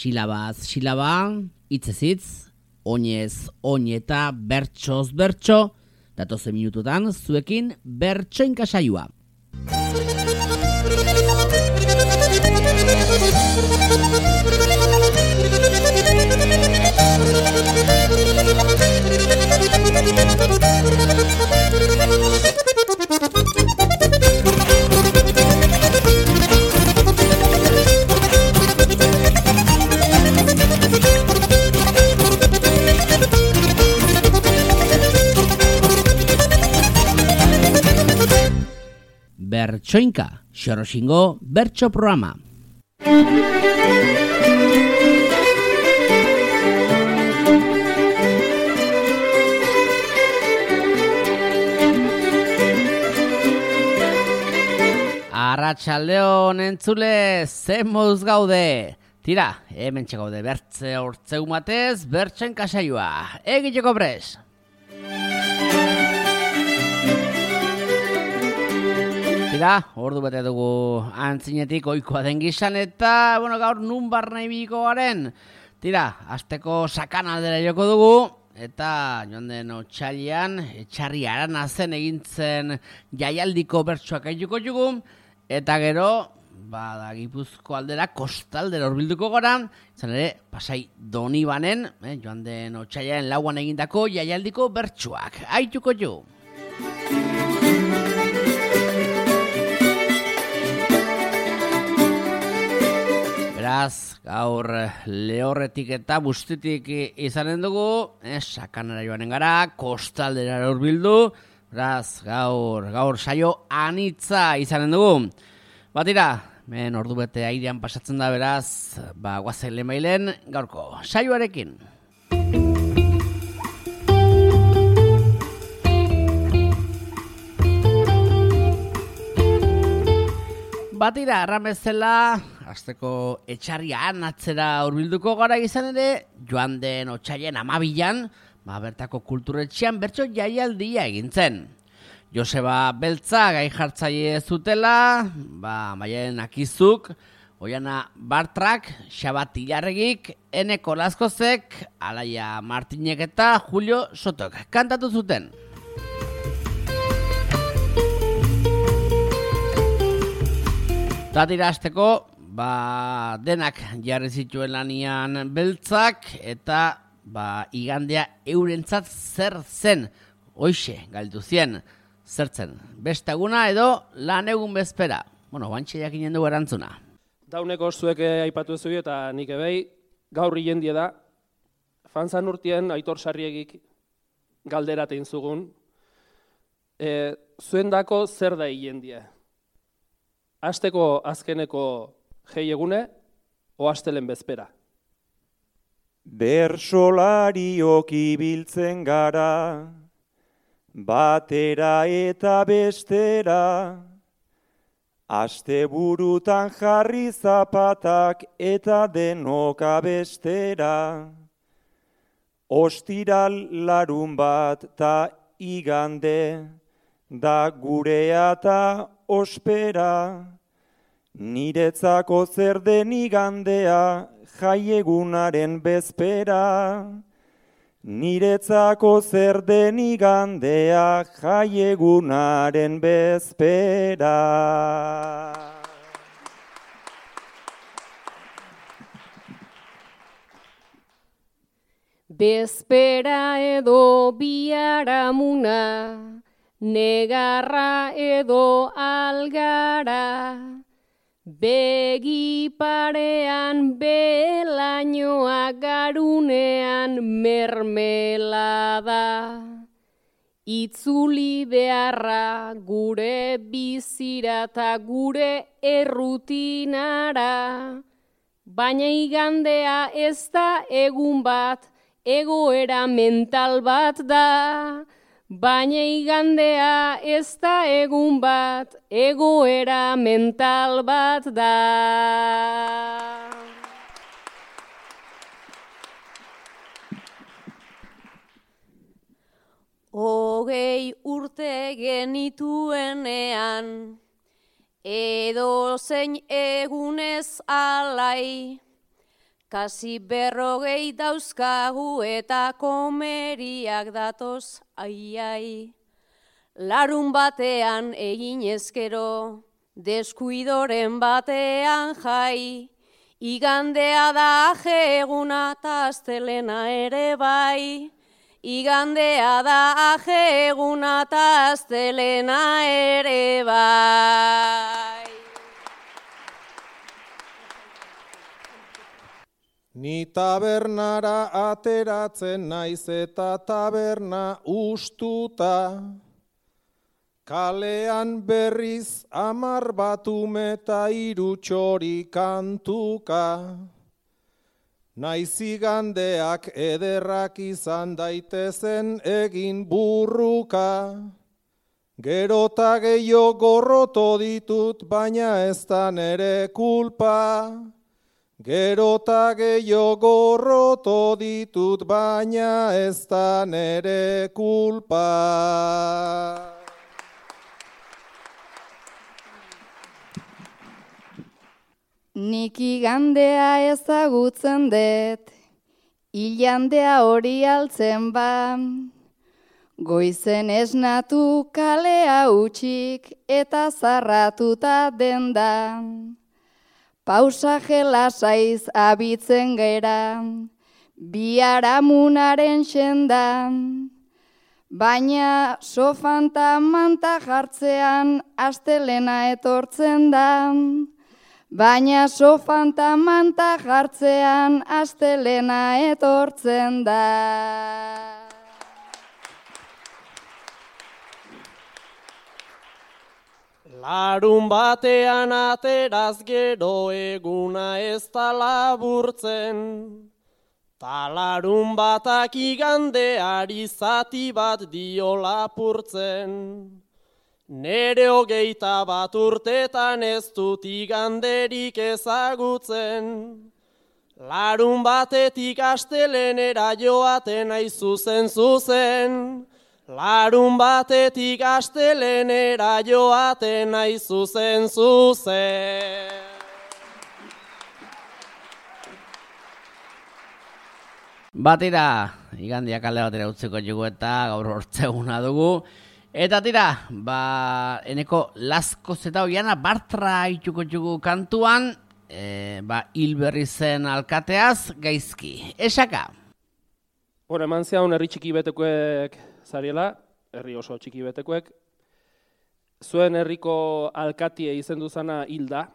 Silabaz silaba, hitzez hitz, oinez oin eta bertsoz bertso, datozen minututan zuekin bertsoinka saioa. Bertsoinka, Xoroxingo bertso programa. Arratsaldeon entzule, ze moduz gaude? Tira, hemen gaude bertze hortzeu matez, bertsoinka saioa. Egiteko pres! Tira, ordu bete dugu antzinetik ohikoa den gizan eta, gaur nun barna ibiliko garen. Tira, asteko sakanaldera joko dugu, eta joan den otsailean, etxarri aranazen egintzen jaialdiko bertsoak aituko jugu, eta gero, da Gipuzko aldera kostaldera hurbilduko gara, izan ere, Pasai Donibanen, joan den otsailean lauan egindako jaialdiko bertsoak aituko jugu. Beraz, gaur lehorretik eta bustitik izanen dugu, sakanara joanen gara, kostaldera hurbildu, beraz, gaur saio anitza izanen dugu. Batira, men ordu bete airean pasatzen da beraz, guazen lemailen gaurko saioarekin. Batira, erramezela, azteko etxarrian atzera hurbilduko gara izan ere, joan den otsailean 12an, bertako kulturetxean bertso jaialdia egintzen. Joseba Beltza gai jartzaile zutela, Maien Akizuk, Oiana Bartrak, Xabat Ilarregik, Eneko Lazkozek, Alaia Martinek eta Julio Sotok kantatu zuten. Zatira azteko, denak jarri zituen lanian Beltzak, eta igandea eurentzat zer zen, hoixe galdu zien, zertzen, bestaguna edo lan egun bezpera. Bantxe jakinen dugu erantzuna. Dauneko zuek aipatu zuen eta nik ebei, gaur hilendie da, fanzan urtien Aitor Sarriegik galderatein zugun, zuendako zer da hilendie? Asteko azkeneko jei egune, o astelen bezpera. Bersolariok ibiltzen gara, batera eta bestera, asteburutan jarri zapatak eta denok abestera. Ostiral larun bat ta igande, da gurea ta ospera. Niretzako zer den igandea, jaiegunaren bezpera. Niretzako zer den igandea, jaiegunaren bezpera. Bezpera edo biharamuna, negarra edo algara, begi parean belainoa garunean mermelada. Itzuli beharra gure bizira eta gure errutinara, baina igandea ez da egun bat, egoera mental bat da. Baina igandea ez da egun bat, egoera mental bat da. Hogei urte genituenean, edo zein egunez alai, kasi 40 dauzkagu eta komeriak datoz, ai. Larun batean egin ezkero, deskuidoren batean jai, igandea da aje eguna ta astelena ere bai. Igandea da aje eguna ta astelena ere bai. Ni tabernara ateratzen naiz eta taberna ustuta, kalean berriz 10 batume eta 3 txori kantuka. Naiz igandeak ederrak izan daitezen egin burruka, gerota gehiago gorroto ditut baina ez da nere kulpa. Gerota gehiago gorroto ditut baina ez da nere kulpa. Nik igandea ezagutzen dut, ilandea hori altzen ba. Goizen esnatu kalea utxik eta zarratuta dendan. Pausaje lasaiz abitzen gera, biharamunaren sendan. Baina sofan ta manta jartzean astelena etortzen da. Baina sofan ta manta jartzean astelena etortzen da. Larun batean ateraz gero eguna ez da laburtzen, ta larun batak igandeari zati bat dio lapurtzen. Nere 21 urtetan ez dut iganderik ezagutzen, larun batetik astelenera joaten naiz zuzen. Larun batetik astelenera joaten naiz zuzen. Batira, igandia kale batera utziko jugu eta gaur hortzeguna dugu. Eta tira, eneko Lasko zeta oiana Bartra ituko jugu kantuan, Hilberri zen alkateaz gaizki. Esaka? Eman zehaun herri txiki betekoek zariela, herri oso txiki betekoek. Zuen herriko alkatie izendu zana Hilda,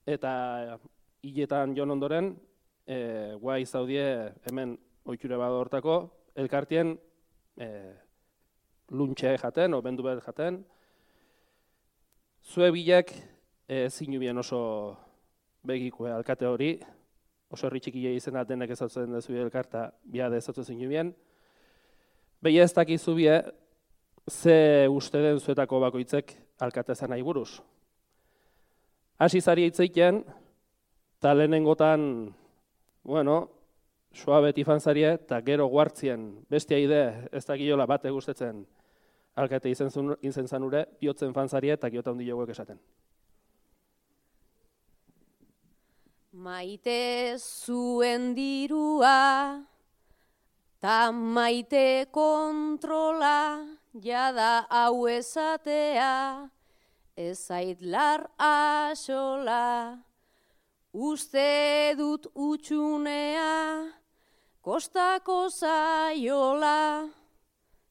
eta hiletan jon ondoren, guai zaudie hemen ohiture bat hortako, elkartien luntxe jaten, o bendu bet jaten. Zue bilek zinubien oso begikoe alkate hori, oso herri txikie izena denek ezatzen dezu elkarta, biade ezatzen zinubien. Behi ez dakizu bie, ze uste den zuetako bakoitzek alkatezan nahi buruz. Hasi zari hitzeiten, eta lehenengotan, soa beti fanzarie, eta gero guartzien, bestia ide, ez dakiola bate gustetzen alkate izen zanure, biotzen fanzarie eta giota hundi joguek esaten. Maite zuen dirua, ta maite kontrola, jada hau esatea, ez zaitlar asola. Uste dut utxunea, kostako zaiola,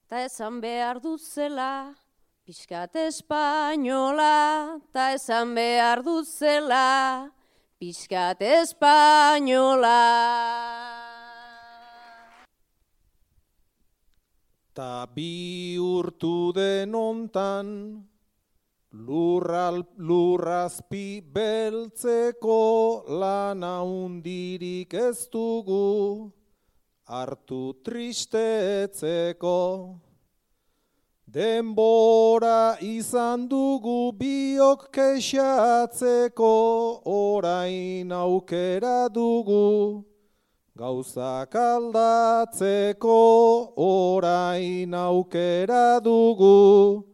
ta esan behar dut zela, pixkat espainola, ta esan behar dut zela, pixkat espainola. Ta bihurtu den ontan, lurrazpi beltzeko lana hundirik ez dugu, hartu tristetzeko. Denbora izan dugu biok kexatzeko, orain aukera dugu, gauzak aldatzeko, orain aukera dugu,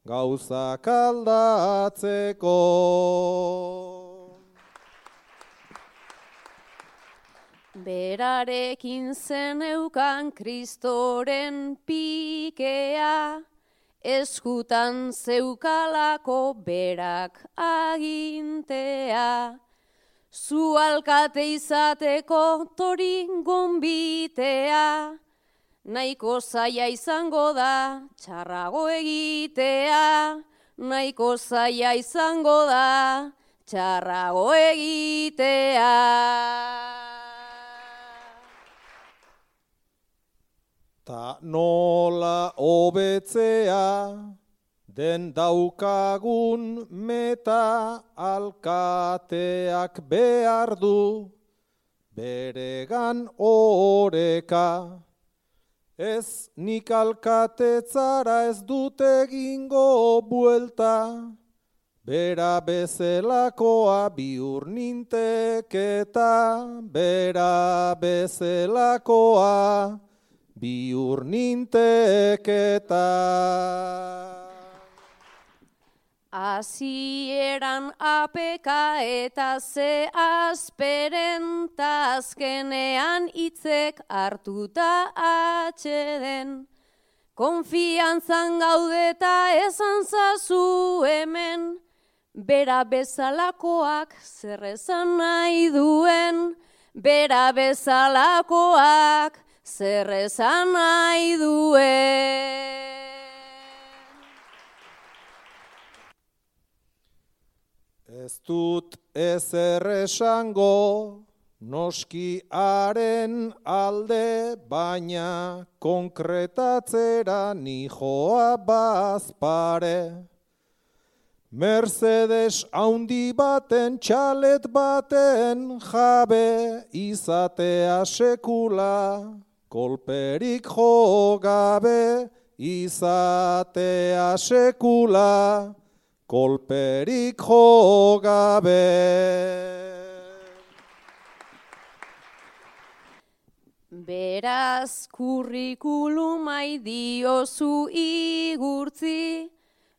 gauzak aldatzeko. Berarekin zeneukan Kristoren pikea, eskutan zeukalako berak agintea. Zu alkate izateko tori gonbitea, nahiko zaila izango da txarrago egitea, nahiko zaila izango da txarrago egitea. Ta nola hobetzea den daukagun meta alkateak behar du beregan oreka. Ez nik alkatetzara ez dut egingo buelta, bera bezelakoa bihur ninteketa, bera bezelakoa bihur ninteketa. Hasieran apeka eta ze asperen, ta azkenean hitzek hartuta atxeden. Konfiantzan gaudeta esan zazu hemen, bera bezalakoak zer esan nahi duen, bera bezalakoak zer esan nahi duen. Ez dut ezer esango, noski haren alde, baina konkretatzera nijoa bazpare. Mercedes haundi baten, txalet baten jabe, izatea sekula, kolperik jo gabe, izatea sekula, kolperik jo gabe. Beraz kurrikulumai diozu igurtzi,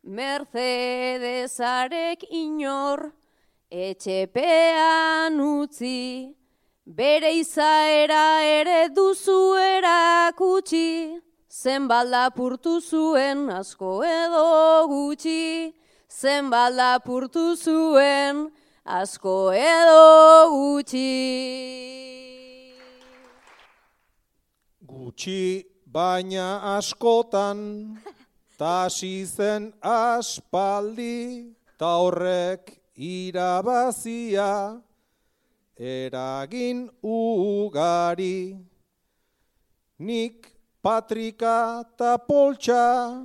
Mercedesarek inor etxepean utzi, bere izaera ere duzu erakutsi, zenbat lapurtu zuen asko edo gutxi, zenbat lapurtu zuen asko edo gutxi. Gutxi baina askotan, tasi zen aspaldi, ta horrek irabazia, eragin ugari. Nik patrika ta poltsa,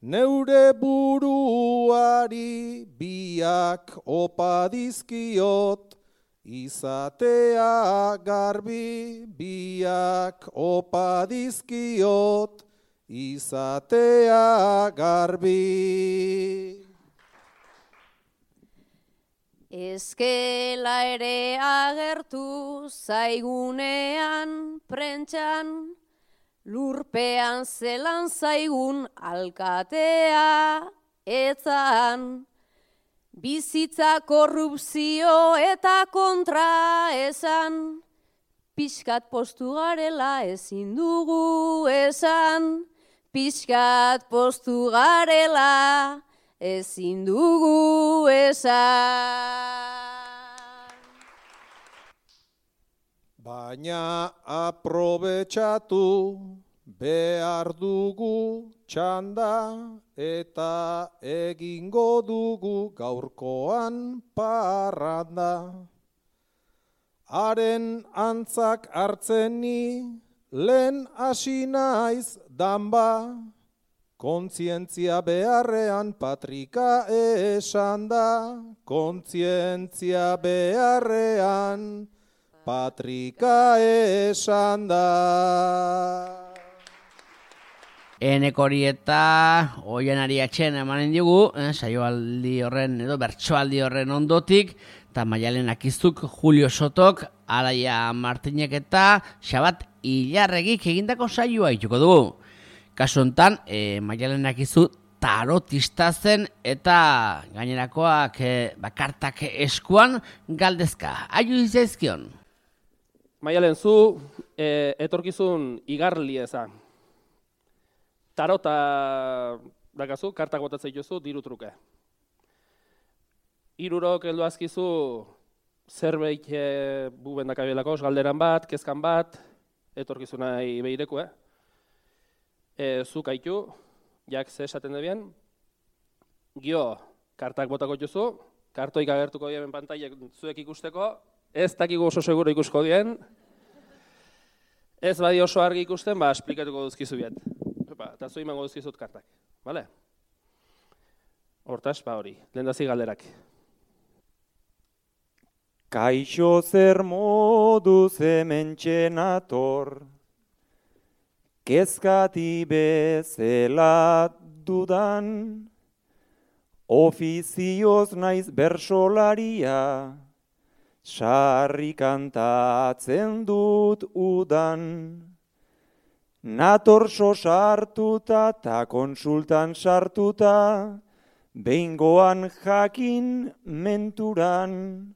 neure buruari biak opa dizkiot, izatea garbi, biak opa dizkiot, izatea garbi. Ezkela ere agertu zaigunean prentxan, lurpean zelan zaigun alkatea etzan. Bizitza korrupzio eta kontra esan, pixkat postu garela ezin dugu esan, pixkat postu garela ezin dugu esan. Baina aprobetxatu behar dugu txanda eta egingo dugu gaurkoan parranda. Haren antzak hartzen ni lehen hasi naiz danba, kontzientzia beharrean patrika esan da, kontzientzia beharrean patrika esan da. Enekori eta Oianari atxen emanen digu, saioaldi horren edo bertsoaldi horren ondotik, eta Maialen Akizuk, Julio Sotok, Araia Martinek eta Xabat Ilarregik egindako saioa ituko dugu. Kasu honetan, Maialen Akizu tarotista zen eta gainerakoak kartak eskuan galdezka. Aiu izazkion? Maialen, zu etorkizun igarli eza. Tarota dakazu, kartak botatzen dituzu, diru truke. 3 heldu azkizu zerbait buben dakabilako, galderan bat, kezkan bat, etorkizunai behireku, Zuk haitu, jak ze esaten debien, gio, kartak botako dituzu, kartoik agertuko dien pantailek zuek ikusteko, ez dakigu oso seguro ikusko dien, ez badi oso argi ikusten, esplikatuko duzkizu biet. Eta zu imango duzkizut kartak, bale? Hortaz, hori, lehendazi galderak. Kaixo zer moduz hementxe nator, kezkati bezala dudan, ofizioz naiz bersolaria, sarri kantatzen dut udan. Nator sartuta ta konsultan sartuta, behingoan jakin menturan,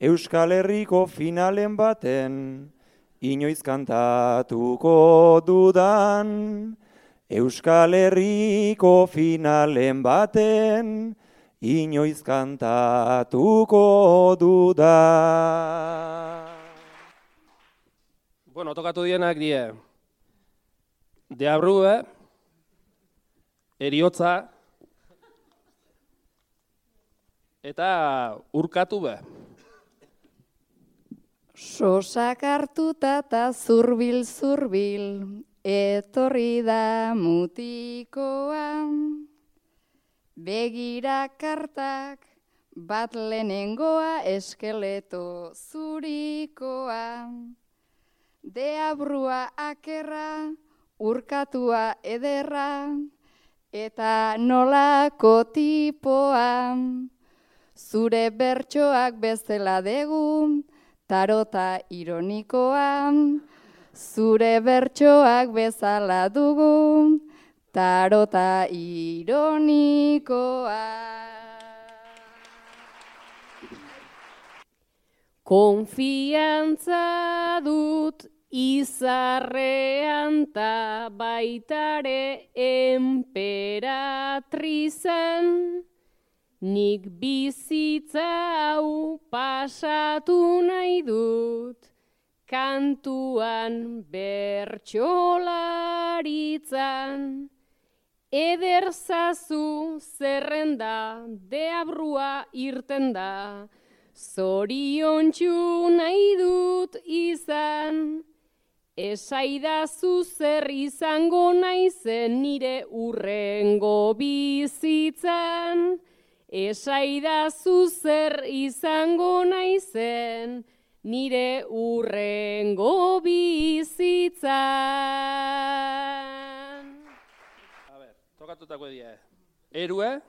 Euskal Herriko finalen baten, inoiz kantatuko dudan. Euskal Herriko finalen baten, inoiz kantatuko dudan. Bueno, tokatu dienak die. Deabrue, eriotza, eta urkatu be. Sosak hartuta eta zurbil, etorri da mutikoa. Begira kartak, bat lehenengoa, eskeleto zurikoa. Deabrua akerra, urkatua ederra, eta nolako tipoa. Zure bertsoak bezala degu, tarota ironikoa. Zure bertsoak bezala dugu, tarota ironikoa. Konfiantza dut izarrean ta baitare enperatrizan, nik bizitza hau pasatu nahi dut, kantuan bertsolaritzan. Ederzazu zerrenda, deabrua irten da, zoriontsu nahi dut izan. Esaidazu zer izango naizen nire urrengo bizitzan. Esaidazu zer izango naizen nire urrengo bizitzan. A ber, tokatutako edia. Erue,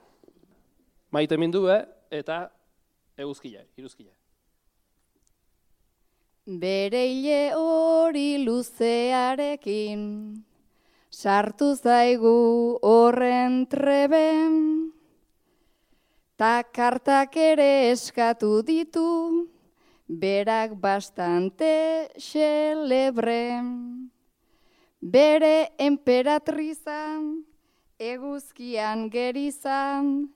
maitemindue eta eguzkile, iruzkile. Bereile hori luzearekin, sartu zaigu horren treben, ta kartak ere eskatu ditu, berak bastante xelebre. Bere emperatrizan, eguzkian gerizan,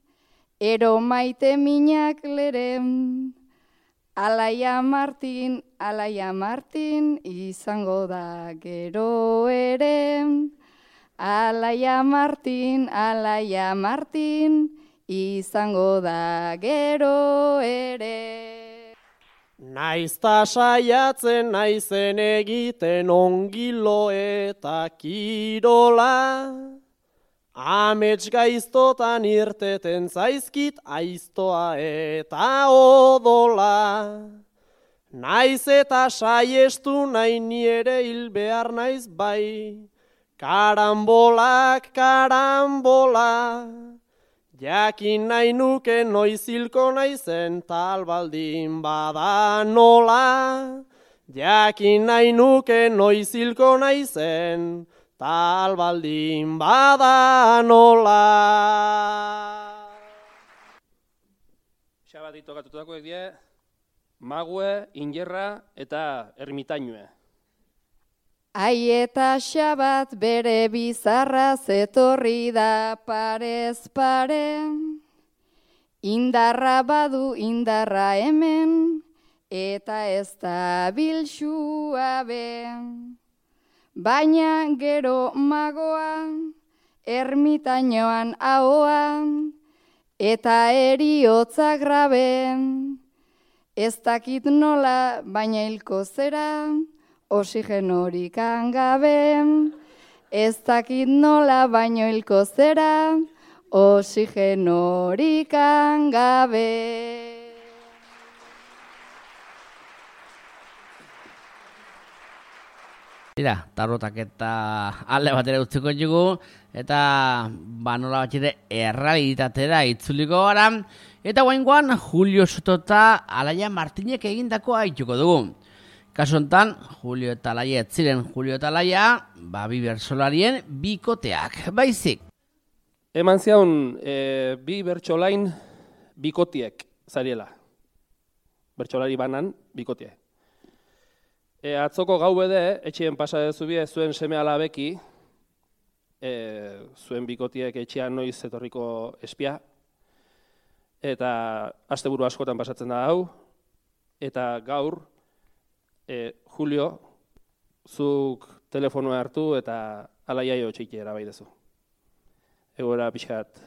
ero maite minak leren. Alaia Martin, izango da gero ere. Alaia Martin, izango da gero ere. Naizta saiatzen naizen egiten ongilo eta kirola, amets gaiztotan irteten zaizkit aiztoa eta odola. Naiz eta saiestu nahi niere hil behar naiz bai, karambolak, karambola. Jakin nahi nuke noiz hilko naizen tal baldin bada nola. Jakin nahi nuke noiz hilko naizen tal baldin bada nola. Xabati tokatutakoek die, mague, ingerra eta ermitainue. Ai eta xabat bere bizarra zetorri da parez pare. Indarra badu indarra hemen, eta ez da bilxua be. Baina gero magoa, ermitainoan ahoan, eta eriotza grabe. Ez dakit nola, baina hilko zera, oxigenorik gabe. Ez dakit nola, baina hilko zera, oxigenorik gabe. Tira, tarrotak eta alde batera utziko dugu, eta nola bat ere errealitatera itzuliko gara, eta guaingoan Julio Soto eta Alaia Martinek egindakoa haituko dugu. Kasu honetan, Julio eta Alaia ez ziren Julio eta Alaia, bi bertsolarien bikoteak, baizik. Eman zion, bi bertsolain bikotiek zariela. Bertsolari banan bikotiek. Atzoko gau bede, etxien pasa dezubie zuen seme alabeki, zuen bikotiek etxean noiz etorriko espia, eta asteburu askotan pasatzen da hau, eta gaur, Julio, zuk telefonoa hartu eta Alaiaio txiki erabai dezu. Egoera pixkat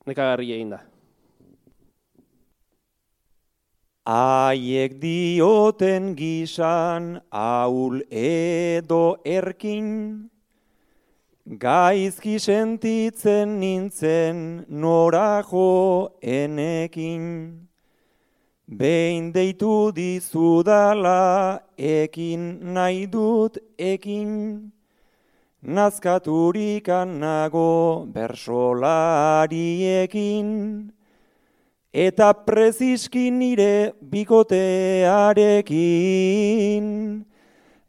nekagarri egin da. Haiek dioten gisan ahul edo erkin, gaizki sentitzen nintzen norajo enekin. Behin deitu dizudala ekin nahi dut ekin, nazkaturikan nago bersolariekin. Eta preziski nire bikotearekin,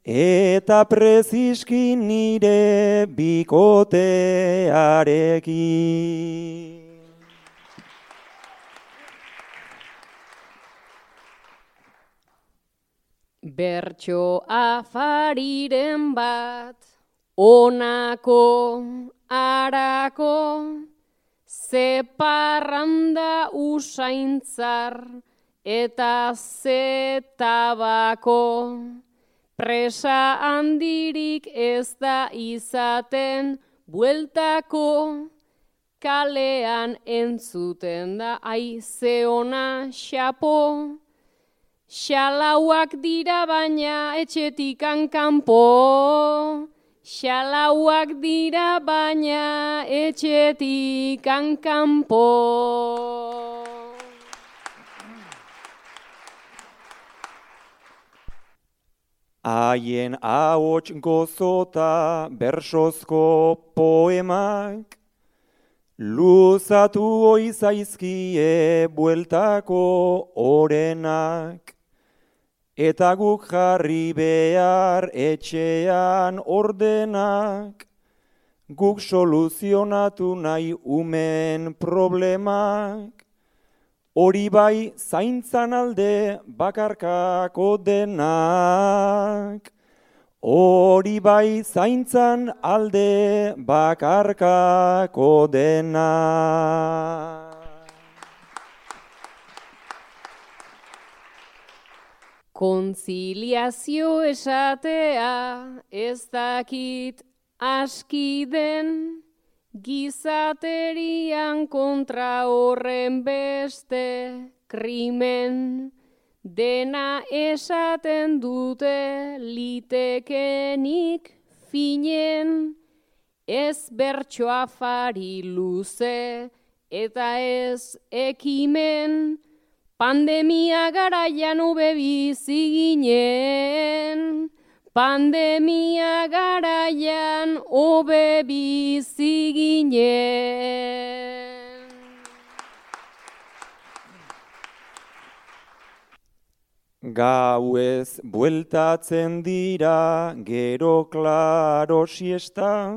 eta preziski nire bikotearekin. Bertso afariren bat, onako, arako, ze parranda usaintzar eta ze tabako. Presa handirik ez da izaten bueltako, kalean entzuten da aize ona xapo. Xalauak dira baina etxetikan kanpo. Xalauak dira baina etxetikan kanpo. Haien ahots gozota bersozko poemak, luzatu oizaizkie bueltako orenak. Eta guk jarri behar etxean ordenak, guk soluzionatu nahi umen problemak. Hori bai zaintzan alde bakarkako denak, hori bai zaintzan alde bakarkako denak. Kontziliazio esatea ez dakit aski den, gizaterian kontra horren beste krimen. Dena esaten dute litekenik finen, ez bertso afari luze eta ez ekimen. Pandemia garaian hobe bizi ginen, pandemia garaian hobe bizi ginen. Gauez bueltatzen dira gero klaro siesta,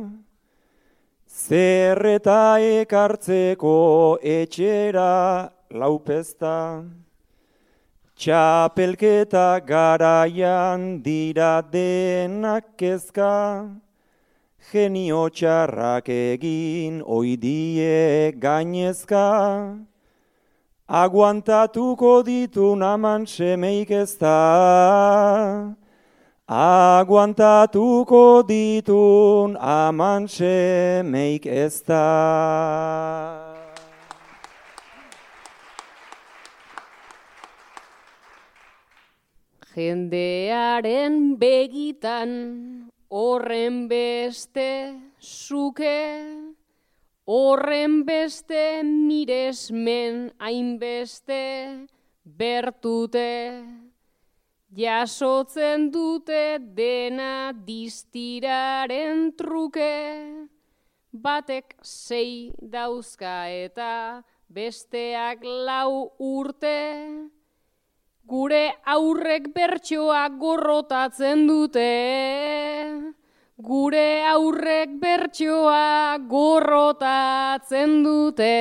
zer eta ekartzeko etxera laupezta. Txapelketa garaian dira denak kezka, genio txarrak egin oidie gainezka, aguantatuko ditun aman semeik ez da, aguantatuko ditun aman semeik ez da. Jendearen begitan horren beste zuke, horren beste miresmen hainbeste bertute, jasotzen dute dena distiraren truke, batek 6 dauzka eta besteak 4 urte, gure aurrek bertsoa gorrotatzen dute, gure aurrek bertsoa gorrotatzen dute.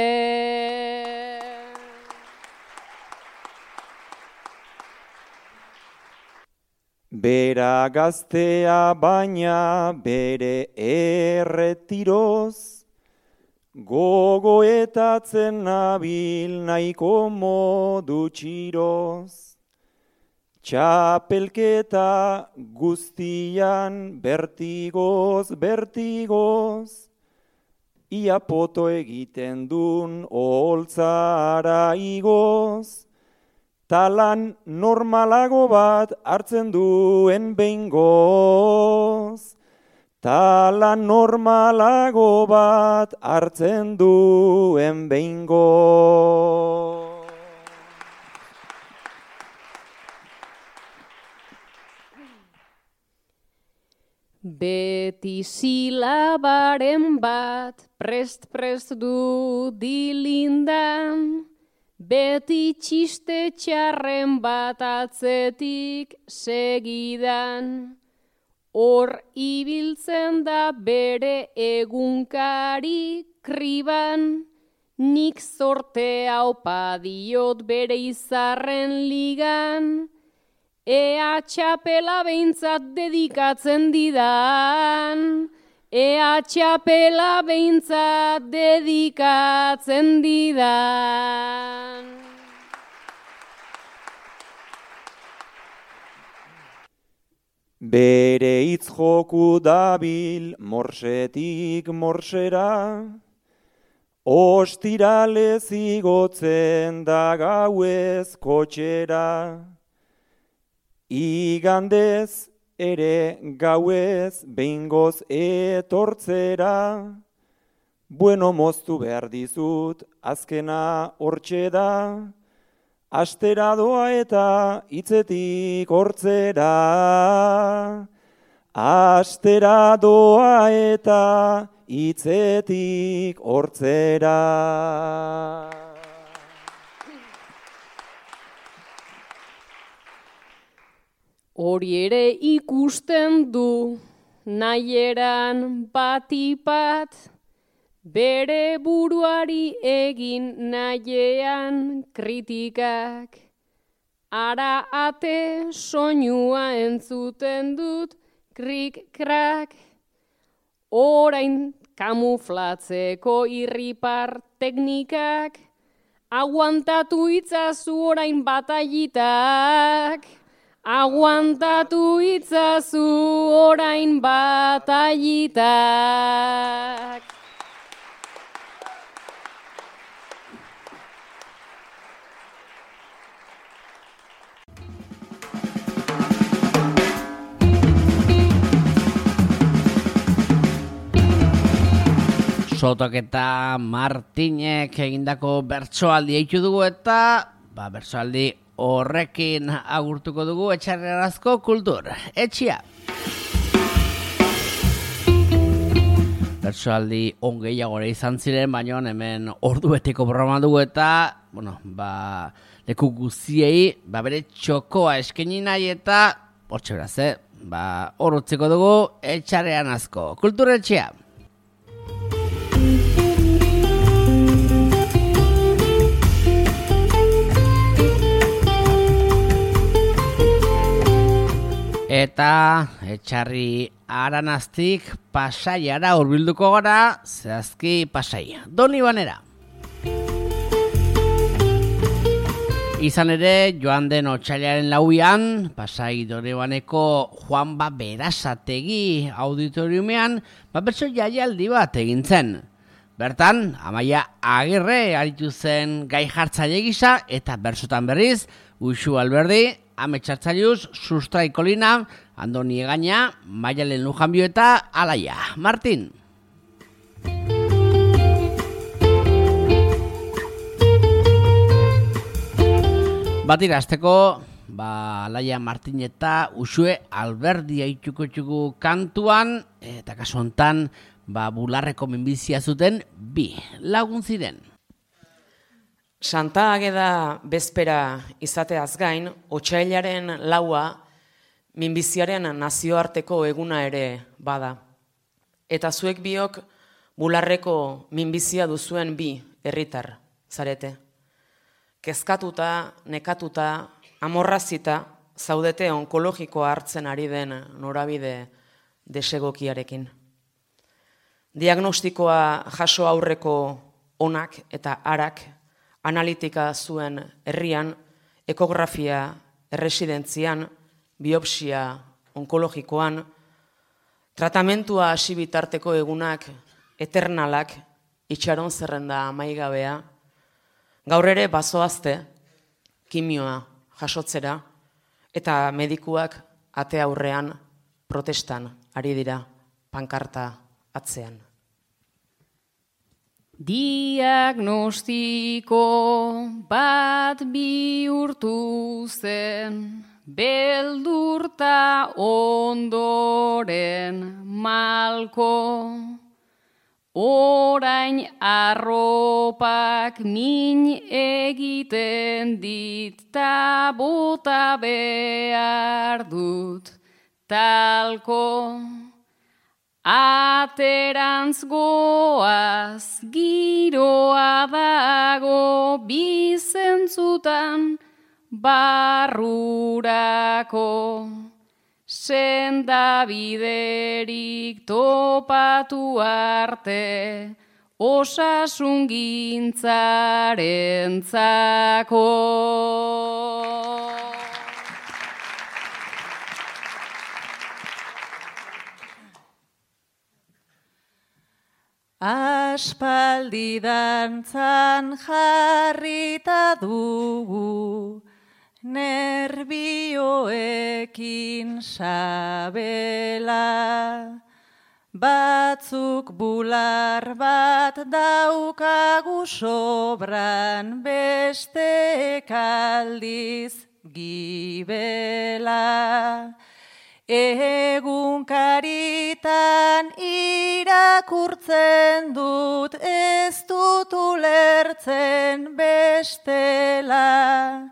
Bera gaztea baina bere erretiroz, gogoetatzen nabil nahiko modu txiroz. Txapelketa guztian bertigoz, bertigoz, ia poto egiten dun oholtzara igoz, talan normalago bat hartzen duen behingoz, talan normalago bat hartzen duen behingoz. Beti silabaren bat prest du dilindan, beti txiste txarren bat atzetik segidan, hor ibiltzen da bere egunkari kriban, nik zortea opa diot bere izarren ligan, ea txapela behintzat dedikatzen didan, ea txapela behintzat dedikatzen didan. Bere hitz joku dabil morsetik morsera, ostiralez igotzen da gauez kotxera, igandez ere gauez behingoz etortzera, bueno moztu behar dizut azkena hortxe da, astera doa eta hitzetik hortzera, astera doa eta hitzetik hortzera. Hori ere ikusten du nahieran batipat, bere buruari egin nahiean kritikak. Ara ate soinua entzuten dut krik-krak, orain kamuflatzeko irripar teknikak, aguantatu itzazu orain bataitak. Aguantatu itzazu orain bataitak. Sotok eta Martinek egindako bertsoaldi eitu dugu eta bertsoaldi horrekin agurtuko dugu Etxarriarazko kultur etxea. Bertsoaldi ongeiagore izan ziren, baina hemen ordubeteko programa dugu eta, leku guziei, bere txokoa eskaini nahi eta, hortxe beraz, hor utziko dugu Etxarriarazko kultur etxea. Eta etxarri Aranaztik Pasaiara hurbilduko gara, zehazki Pasai Donibanera. Izan ere, joan den otsailaren 4an, Pasai Donibaneko Juanba Berasategi auditoriumean, bertso jaialdi bat egin zen. Bertan, Amaia Agirre aritu zen gai jartzaile gisa, eta bersotan berriz, Uxu Alberdi, Ametxartzaiuz, Sustrai Kolina, Andoni Egaña, Maialen Lujanbio eta Alaia Martin. Batira, azteko, Alaia Martin eta Uxue Alberdi aituko txuku kantuan, eta kasu hontan, bularreko minbizia zuten 2 lagun ziren. Santa Ageda bezpera izateaz gain, otsailaren 4a minbiziaren nazioarteko eguna ere bada. Eta zuek biok bularreko minbizia duzuen 2 herritar zarete. Kezkatuta, nekatuta, amorrazita zaudete onkologikoa hartzen ari den norabide desegokiarekin. Diagnostikoa jaso aurreko onak eta arak, analitika zuen herrian, ekografia erresidentzian, biopsia onkologikoan, tratamentua hasi bitarteko egunak eternalak, itxaron zerrenda amaigabea, gaur ere bazoazte, kimioa jasotzera, eta medikuak ate aurrean protestan ari dira pankarta atzean. Diagnostiko bat bihurtu zen, beldurta ondoren malko, orain arropak min egiten dit, ta bota behar dut talko. Aterantz goaz, giroa dago bizentzutan barrurako. Sendabiderik topatu arte, osasungintzarentzako. Aspaldi dantzan jarrita dugu, nerbioekin sabela. Batzuk bular bat daukagu sobran, beste aldiz gibela. Egunkaritan irakurtzen dut, ez dut ulertzen bestela.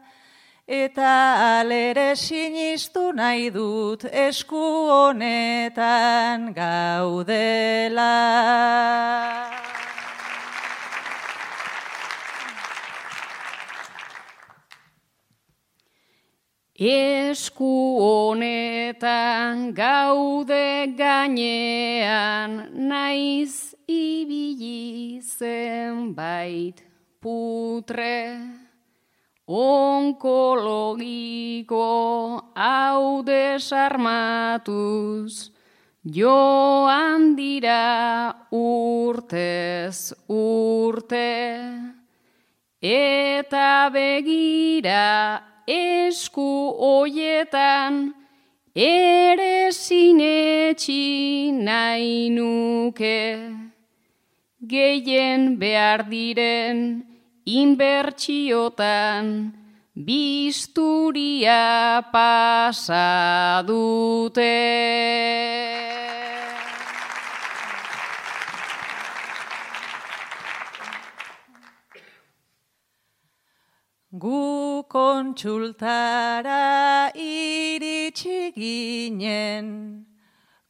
Eta alere sinistu nahi dut esku honetan gaudela. Esku honetan gaude gainean, naiz ibili zenbait putre. Onkologiko hau desarmatuz, joan dira urtez urte. Eta begira esku hoietan, ere sinetxi nahi nuke. Gehien behar diren inbertsiotan, bisturia pasa dute. Gu kontsultara iritsi ginen,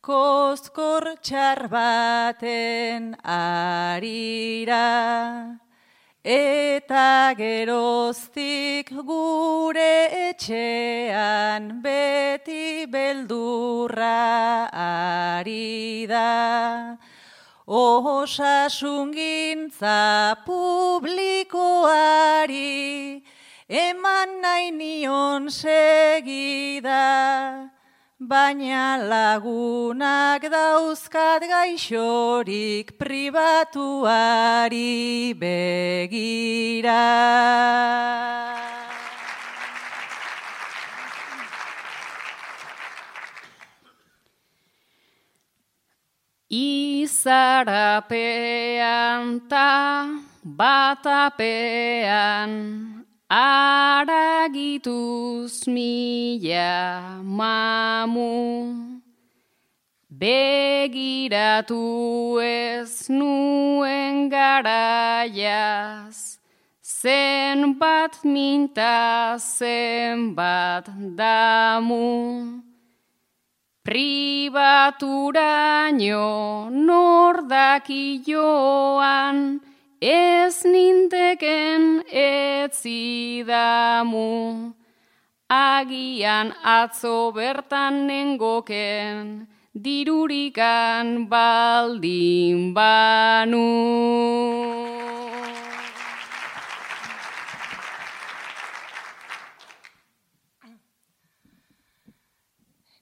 kozkor txar baten arira. eta geroztik gure etxean beti beldurra ari da. Osasungintza publikoari eman nahi nion segida, baina lagunak dauzkat gaixorik pribatuari begira. Izarapean ta batapean aragituz mila mamu. Begiratu ez nuen garaiaz, zenbat minta zenbat damu. Pribaturaino nordaki joan, ez ninteken etzidamu. Agian atzo bertan nengoken, dirurikan baldin banu.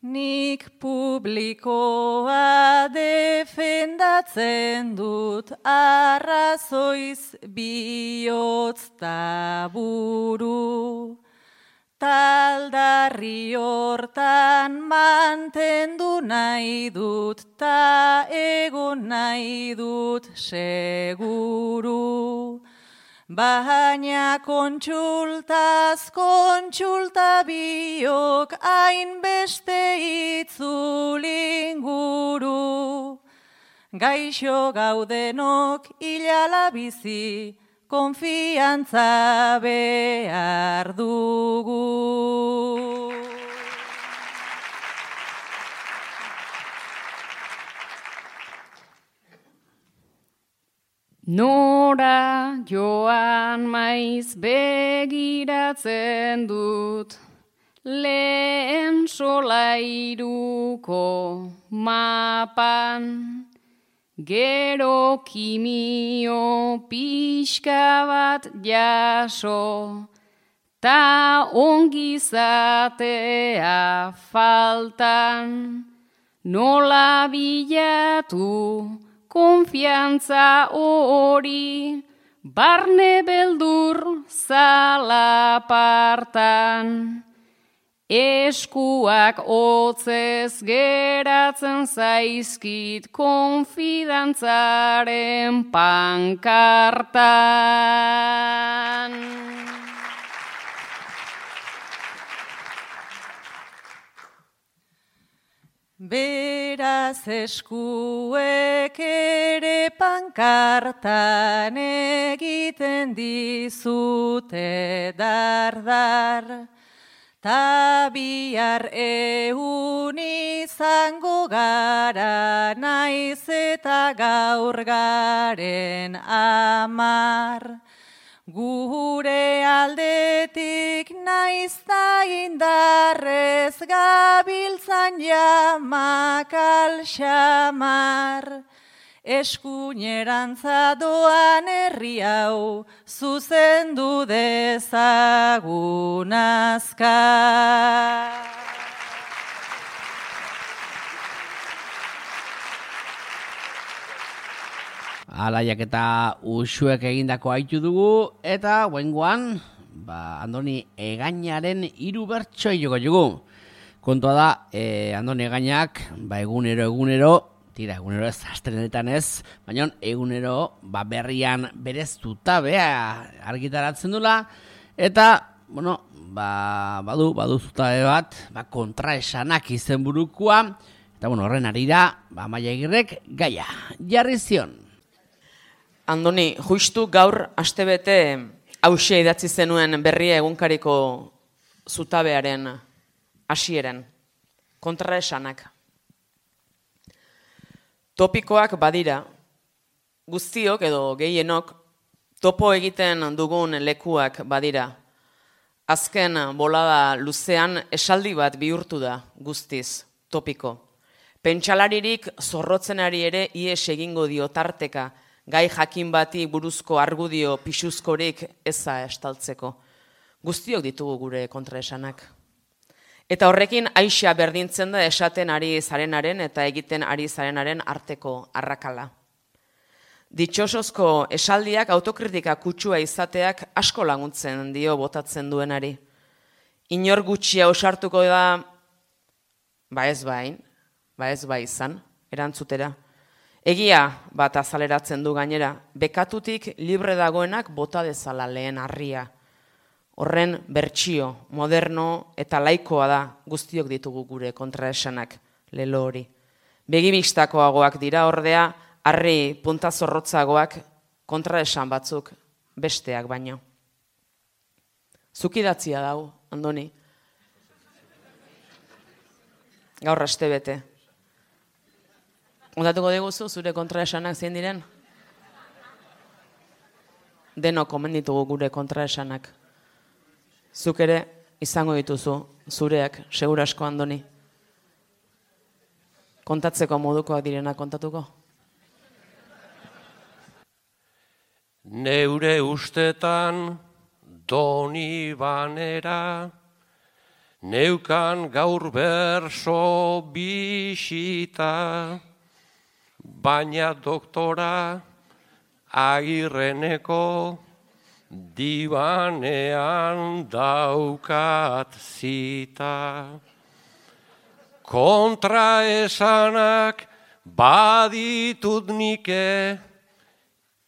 Nik publikoa defendatzen dut, arrazoiz bihotz ta buru. Taldarri hortan mantendu nahi dut, ta egon nahi dut seguru. Baina kontsultaz kontsulta biok hainbeste itzulinguru. Gaixo gaudenok ilala bizi, konfiantza behar dugu. Nora joan maiz begiratzen dut, lehen solairuko mapan. Gero kimio pixka bat jaso, ta ongizatea faltan. Nola bilatu konfiantza hori, barne beldur zalapartan. Eskuak hotzez geratzen zaizkit konfidantzaren pankartan. Beraz eskuek ere pankartan egiten dizute dardar. Ta bihar ehun izango gara, naiz eta gaur garen 10. Gure aldetik naiz da indarrez gabiltzan jamak alxamar. Eskuinerantza doan herri hau zuzendu dezagun azkar. Alaiak eta usuek egindako haitu dugu, eta guengoan, Andoni Egañaren 3 bertsoi joko dugu. Kontua da, Andoni Egañak, egunero, egunero ez, astelenetan ez, baina egunero berrian bereztuta argitaratzen dula, eta, badu zutabe bat, kontraesanak izenburukua, eta horren arira, Amaia Agirrek gaia jarri zion. Andoni, justu gaur astebete hauxe idatzi zenuen berria egunkariko zutabearen hasieren, kontraesanak. Topikoak badira, guztiok edo gehienok Topo egiten dugun lekuak badira. Azken bolada luzean esaldi bat bihurtu da guztiz, topiko. Pentsalaririk zorrotzenari ere ies egingo dio tarteka, gai jakin bati buruzko argudio pixuzkorik eza estaltzeko. Guztiok ditugu gure kontraesanak. Eta horrekin aixa berdintzen da esaten ari zarenaren eta egiten ari zarenaren arteko arrakala. Ditxosozko esaldiak autokritika kutsua izateak asko laguntzen dio botatzen duenari. Inor gutxia osartuko da, ba ez bai izan, erantzutera. Egia bat azaleratzen du gainera, bekatutik libre dagoenak bota dezala lehen harria. Horren bertsio, moderno eta laikoa da guztiok ditugu gure kontraesanak, lelo hori. Begibistakoagoak dira ordea, harri punta zorrotzagoak kontraesan batzuk besteak baino. Zukidatzia dau, Andoni. Gaur astebete. Ondatuko diguzu zure kontraesanak zein diren? Denok omen ditugu gure kontraesanak. Zuk ere izango dituzu zureak, segura asko, Andoni. Kontatzeko modukoak direnak kontatuko? Neure ustetan doni banera, neukan gaur berso bisita, baina doktora Agirreneko dibanean daukat zita. Kontraesanak baditut nike,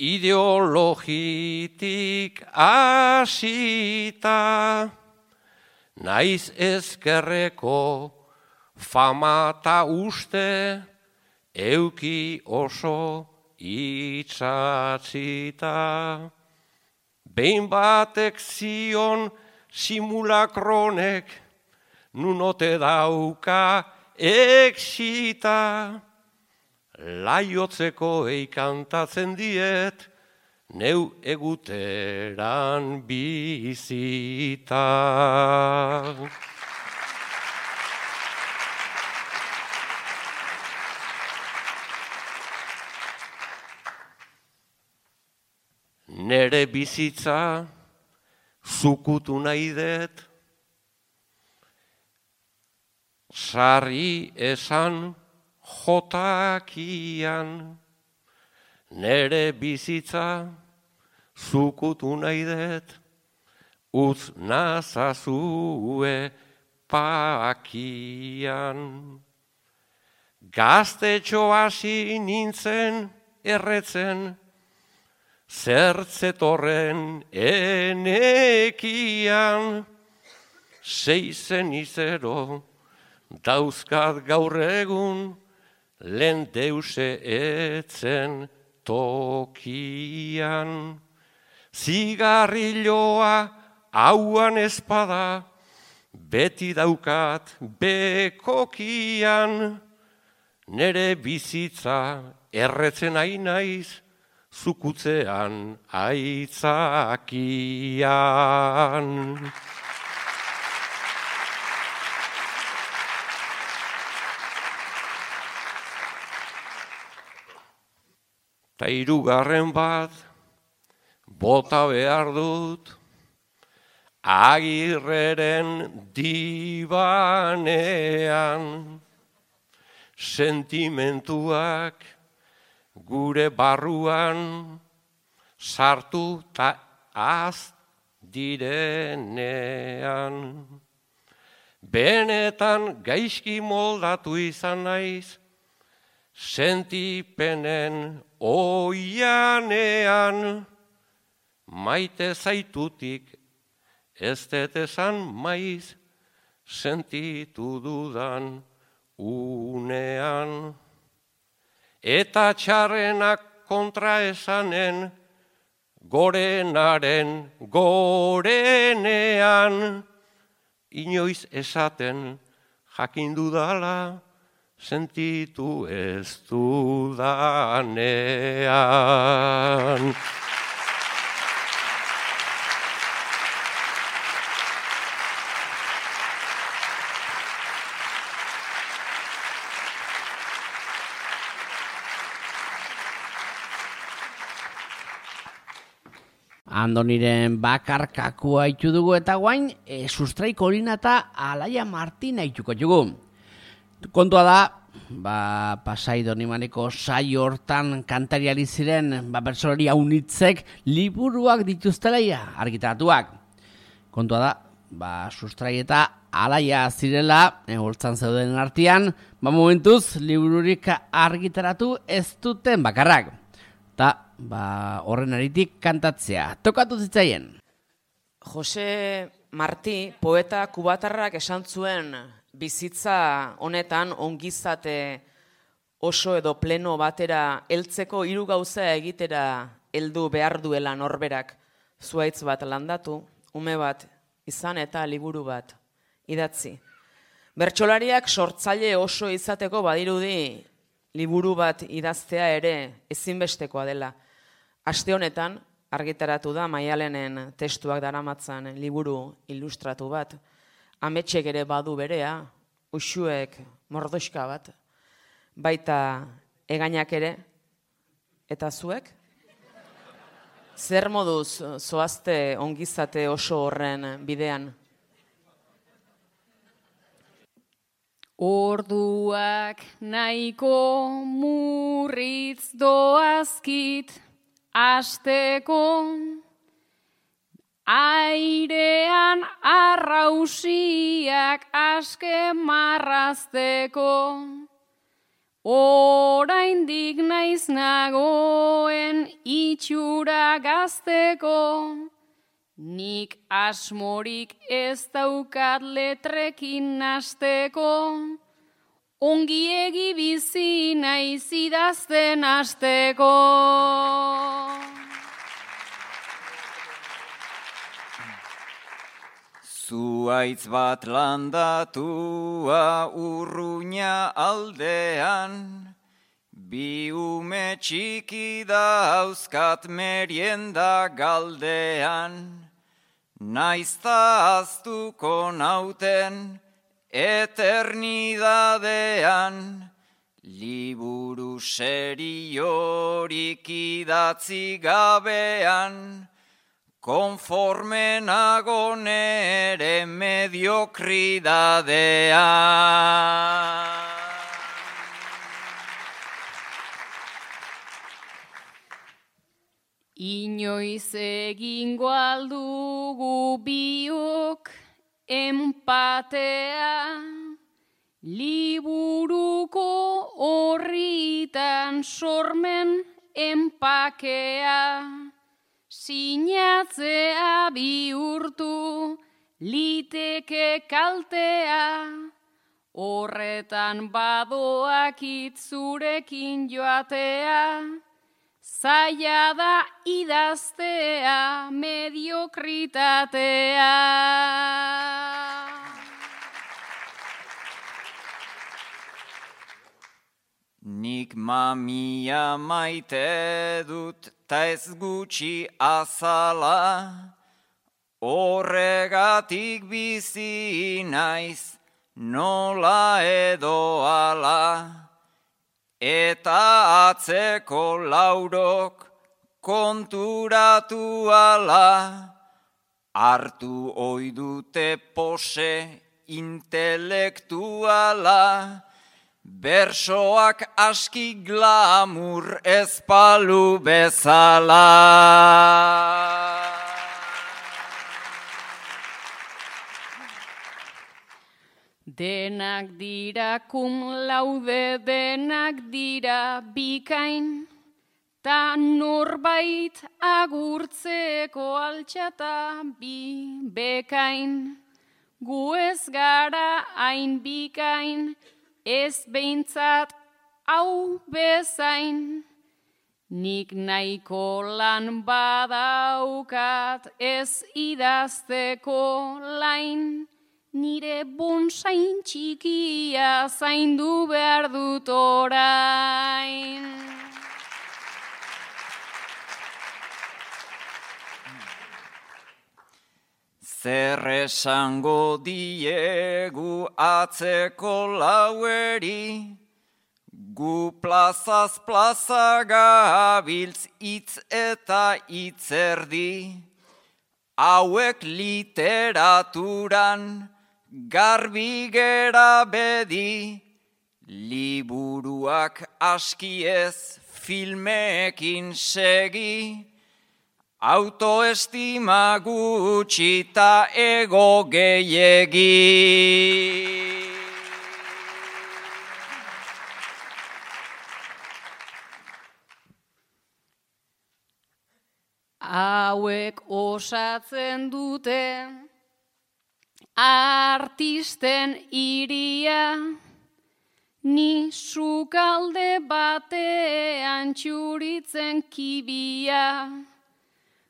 ideologitik hasita, naiz ezkerreko famata uste, euki oso itxatzita. Behin batek zion simulakronek, nunote dauka exita. Laiotzeko eikantatzen diet, neu eguteran bizita. Nere bizitza zukutu nahi dut, sarri esan jotakian. Nere bizitza zukutu nahi dut, utz nazazue pakian. Gaztetxo hasi nintzen erretzen, zertzetorren enekian. 6 zenizero dauzkat gaur egun, lehen deuse etzen tokian. Zigarrilloa hauan espada, beti daukat bekokian. Nere bizitza erretzen naiz, zukutzean aitzakian. Ta hirugarren bat bota behar dut, Agirreren dibanean. Sentimentuak gure barruan sartu ta az direnean. Benetan gaizki moldatu izan naiz, sentipenen oianean. Maite zaitutik ez dut esan maiz, sentitu dudan unean. Eta txarrenak kontra esanen, gorenaren gorenean. Inoiz esaten jakin dudala, sentitu ez dudanean. Andoniren bakarkakua haitu dugu eta guain, Sustrai Kolina eta Alaia Martin haituko dugu. Kontua da, Pasai Donimaneko saio hortan kantari ari ziren bertsolari haunitzek liburuak dituztela argitaratuak. Kontua da, Sustrai eta Alaia zirela, holtzan zeuden artean, momentuz libururik argitaratu ez duten bakarrak. Eta horren aritik kantatzea. Tokatu zitzaien. Jose Marti, poeta kubatarrak esan zuen bizitza honetan ongizate oso edo pleno batera heltzeko 3 gauza egitera heldu behar duela norberak. Zuhaitz bat landatu, ume bat izan eta liburu bat idatzi. Bertsolariak sortzaile oso izateko badirudi liburu bat idaztea ere ezinbestekoa dela. Aste honetan argitaratu da Maialenen testuak daramatzan liburu ilustratu bat. Ametsek ere badu berea, uxuek mordoxka bat, baita egainak ere, eta zuek? Zer moduz zoazte ongizate oso horren bidean? Orduak nahiko murritz doazkit asteko, airean arrausiak aske marrazteko, oraindik naiz nagoen itxura gazteko, nik asmorik ez daukat letrekin nasteko, ongiegi bizi naiz idazten hasteko. Zuhaitz bat landatua Urruña aldean, bi ume txiki dauzkat merienda galdean, naizta aztuko nauten eternidadean, liburu seriorik idatzi gabean, konforme nago nere mediokritatean. Inoiz egingo aldugu biok empatea, liburuko horritan sormen empakea, sinatzea bihurtu liteke kaltea, horretan badoakit zurekin joatea, zaila da idaztea mediokritatea. Nik mamia maite dut ta ez gutxi azala, horregatik bizi naiz nola edo ala, eta atzeko laurok konturatu ala, hartu oidute pose intelektuala, bersoak aski glamur ezpalu bezala. Denak dira cum laude, denak dira bikain, ta norbait agurtzeko altxata bi bekain. Gu ez gara hain bikain, ez behintzat hau bezain. Nik nahiko lan badaukat ez idazteko lain, nire bonsain txikia zaindu behar dut orain. Zer esango diegu atzeko laueri, gu plazaz plaza gabiltz hitz eta hitzerdi, hauek literaturan garbi gera bedi, liburuak aski ez filmekin segi, autoestima gutxi ta ego gehiegi. Hauek osatzen dute artisten iria, ni sukalde batean txuritzen kibia,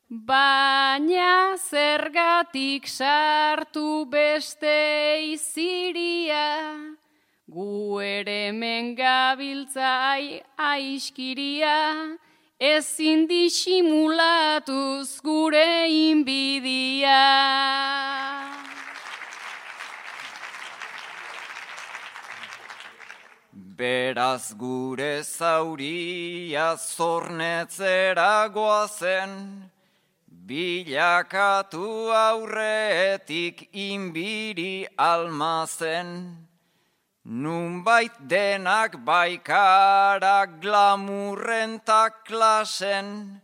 baina zergatik sartu beste iziria, gu ere hemen gabiltzai aiskiria, ezin disimulatuz gure inbidia. Beraz gure zauria zornetzera goazen, bilakatu aurretik inbiri almazen. Nunbait denak baikara glamurren ta klasen,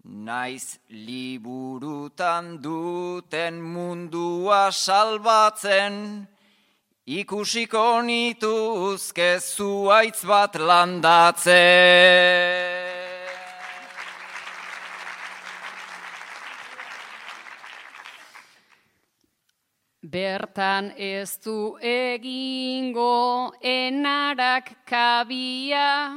naiz liburutan duten mundua salbatzen, ikusiko nituzke zuaitz bat landatzen. Bertan ez du egingo enarak kabia,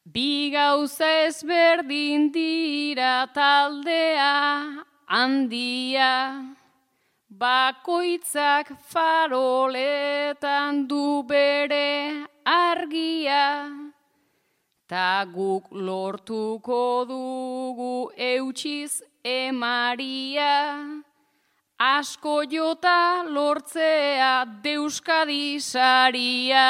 bi gauza ezberdin dira taldea handia, bakoitzak faroletan du bere argia, ta guk lortuko dugu eutsiz emaria, asko jota lortzea deuskadi saria.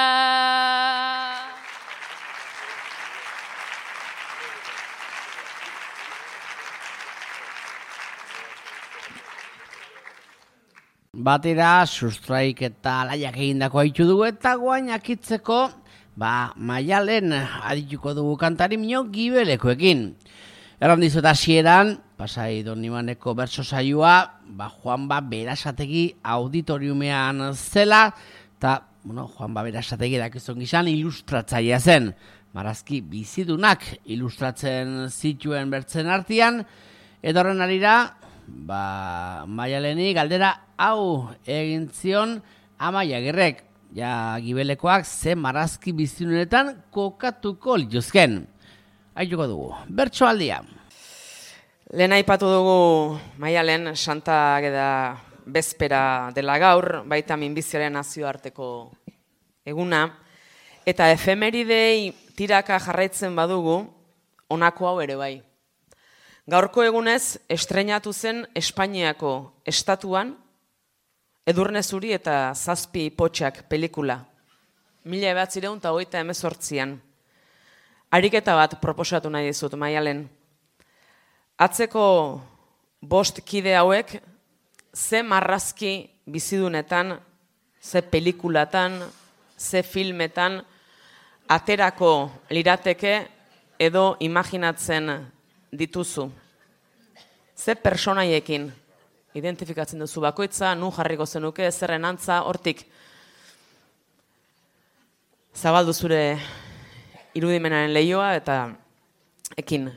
Batera, sustraik eta alaiak egindako haitu dugu eta guain akitzeko, Maialen adituko dugu kantari mino Gibelekoekin. Erran dizut hasieran, Pasai Donibaneko bertso saioa, Juanba Berasategi auditoriumean zela, eta, Juanba Berasategi dakizun gizan ilustratzailea zen. Marrazki bizidunak ilustratzen zituen bertzen artean, eta horren arira, Maialeni galdera hau egin zion Amaia Agirrek, Gibelekoak ze marrazki bizidunetan kokatuko lituzken. Aituko dugu, bertsoaldia. Lehen aipatu dugu Maialen Santa Ageda bezpera dela gaur, baita minbiziaren nazioarteko eguna, eta efemeridei tiraka jarraitzen badugu, honako hau ere bai. Gaurko egunez estreinatu zen Espainiako estatuan Edurne Zuri eta Zazpi Potxak pelikula. 1928an. Ariketa bat proposatu nahi dizut, Maialen. Atzeko 5 kide hauek, ze marrazki bizidunetan, ze pelikulatan, ze filmetan, aterako lirateke edo imaginatzen dituzu. Ze personaiekin identifikatzen duzu bakoitza, nun jarriko zenuke, zerren antza, hortik zabaldu zure irudimenaren lehioa eta ekin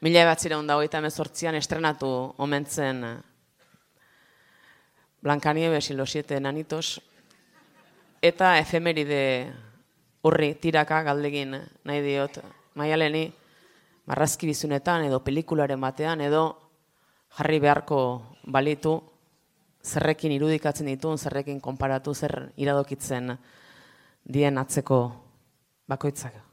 1928an estrenatu omentzen Blancanieves y los 7 enanitos eta efemeride horri tiraka galdegin nahi diot Maialeni marrazki bizunetan edo pelikularen batean edo jarri beharko balitu zerrekin irudikatzen ditun, zerrekin konparatu, zer iradokitzen dien atzeko bakoitzak.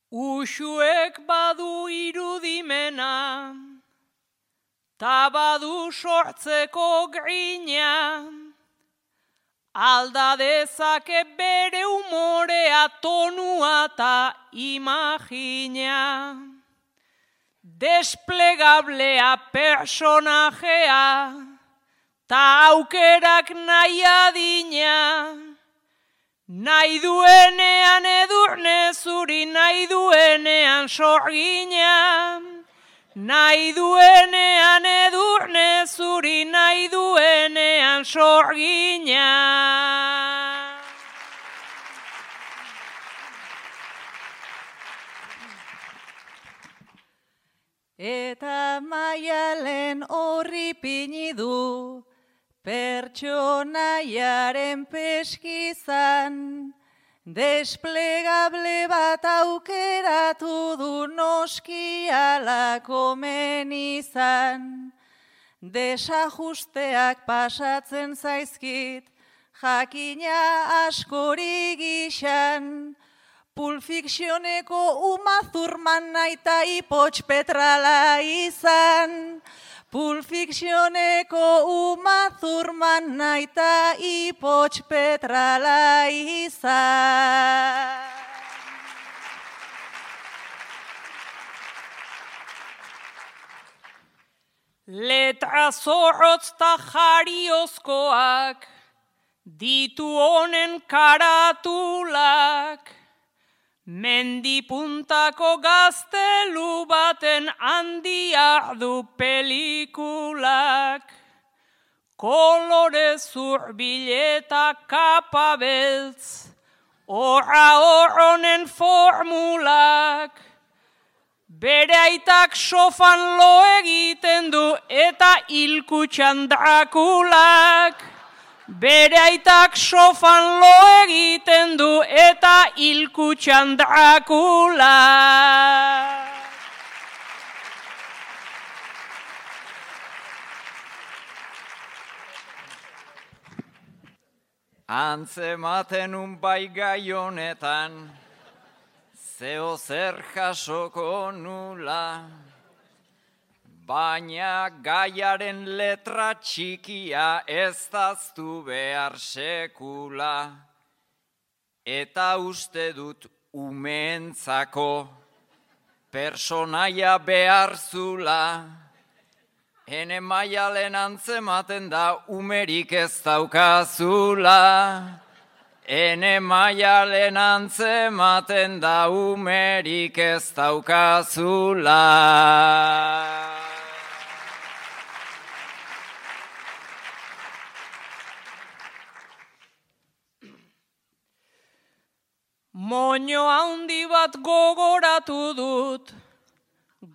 Uxuek badu irudimena, ta badu sortzeko grina, alda dezake bere umorea, tonua eta imagina. Desplegablea personajea, ta aukerak nahi adina. Nahi duenean edurne zuri, nahi duenean sorgina. Nahi duenean edurne zuri, nahi duenean sorgina. Eta Maialen horri pini du, pertsonaiaren peskizan, desplegable bat aukeratu du noski ala komen izan. Desajusteak pasatzen zaizkit, jakina askori gixan, Pulp Fictioneko Uma Thurman naita Ipotx Petrala izan. Pulp Fictioneko Uma Thurman naita Ipotx Petrala izan. Letra zorrotz ta jariozkoak, ditu honen karatulak, mendipuntako gaztelu baten handia du pelikulak. Kolore zurbileta kapa beltz, horra horronen formulak. Bere aitak sofan lo egiten du eta hilkutxan Drakulak. Bere aitak sofan lo egiten du eta hilkutxan Drakulak. Antzematen bai gai honetan, zeo zer jasoko nula, baina gaiaren letra txikia ez daztu behar sekula, eta uste dut umeentzako personaia behar zula. Ene Maialen antzematen da umerik ez daukazula. Ene Maialen antzematen da umerik ez daukazula. Moño handi bat gogoratu dut,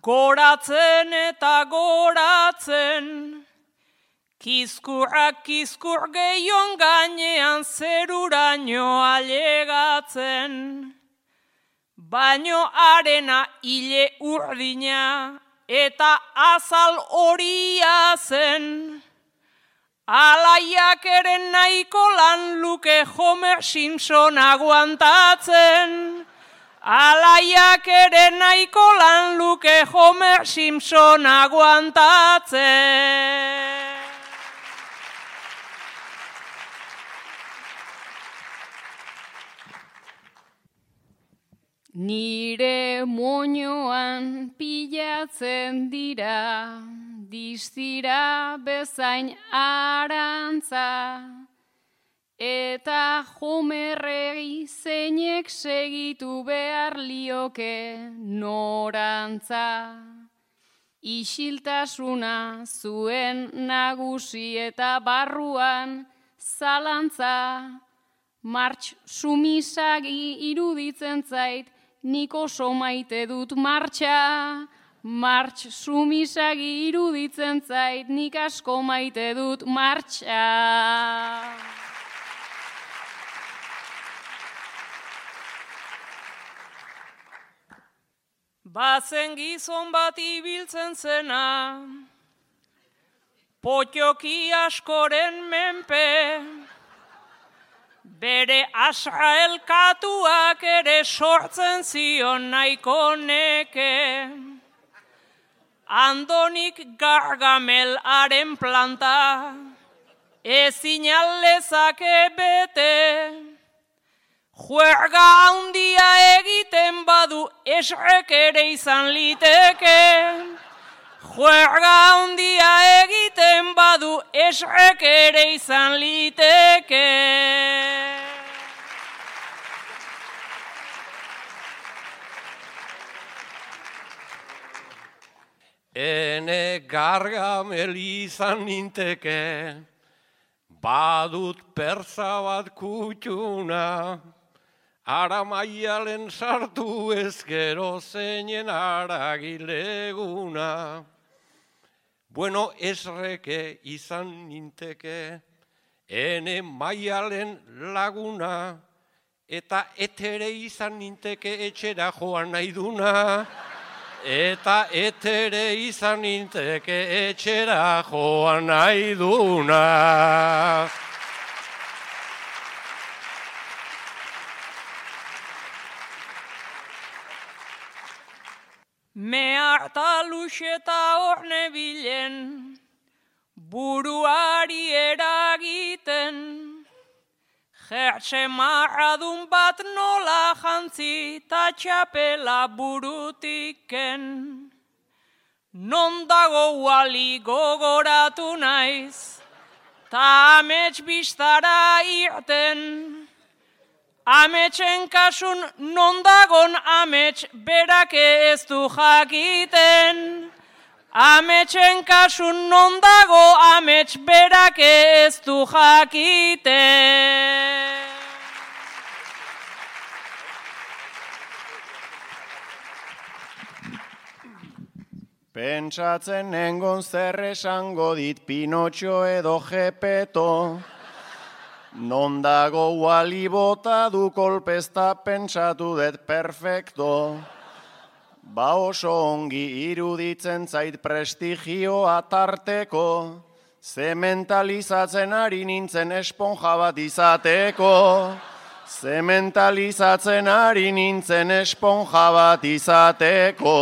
goratzen eta goratzen, kizkurrak kizkur gehion gainean zeruraino ailegatzen, baino arena hile urdina eta azal horia zen, alaiak ere nahiko lan luke Homer Simpson aguantatzen. Alaiak ere nahiko lan luke Homer Simpson aguantatzen. Nire moñoan pilatzen dira, distira bezain arantza, eta Homerregi zeinek segitu behar lioke norantza. Isiltasuna zuen nagusi eta barruan zalantza, martx sumisagi iruditzen zait, nik oso maite dut martxa. Martx sumisagi iruditzen zait, nik asko maite dut martxa. Bazen gizon bat ibiltzen zena, potioki askoren menpe, bere asraelkatuak ere sortzen zion nahiko neke. Andonik Gargamelaren planta, ezin aldezake bete. Juerga handia egiten badu esrek ere izan liteke. Juerga handia egiten badu esrek ere izan liteke. Ene Gargamel izan ninteke, badut persa bat kutxuna, ara maialen sartu ezkero zeinen aragileguna. Bueno, esreke izan ninteke, ene maialen laguna, eta etere izan ninteke etxera joan nahi duna. Eta etere izan ninteke etxera joan nahi duna. Meharta luxeta hor nebilen, buruari eragiten, jertxe marradun bat nola jantzi ta txapela burutiken. Non dago wali gogoratu naiz, ta amets bistara irten. Ametsen kasun non dagon amets berake ez du jakiten. Ametsen kasun non dago amets berake ez du jakiten. Pentsatzen nengon zer esango dit Pinotxo edo Gepeto. Non dago wali bota du kolpezta pentsatu dut perfecto. Ba oso ongi iruditzen zait prestigioa tarteko. Zementalizatzen ari nintzen esponja bat izateko. Zementalizatzen ari nintzen esponja bat izateko.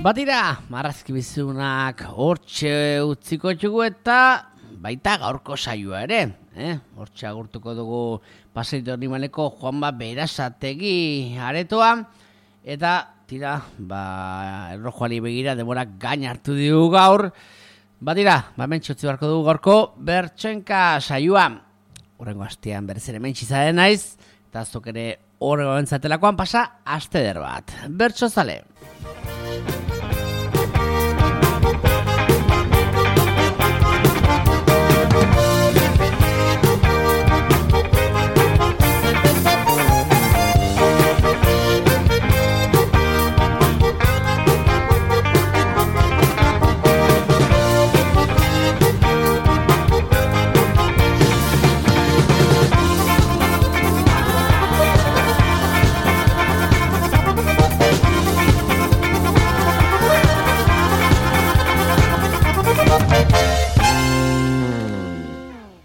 Batira, marrazki bizunak hortxe utziko txugu eta baita gaurko saioa ere. Hortxe agurtuko dugu Paseito Animaleko Juanma Berasategi aretoa. Eta tira, errojoari begira demorak gain hartu dugu gaur. Batira, mentxotzi barko dugu gaurko bertsoenka saioa. Horrengo astean berez ere mentxizaren naiz. Eta azok ere horrego bentzatelakoan pasa aste der bat. Bertso zale.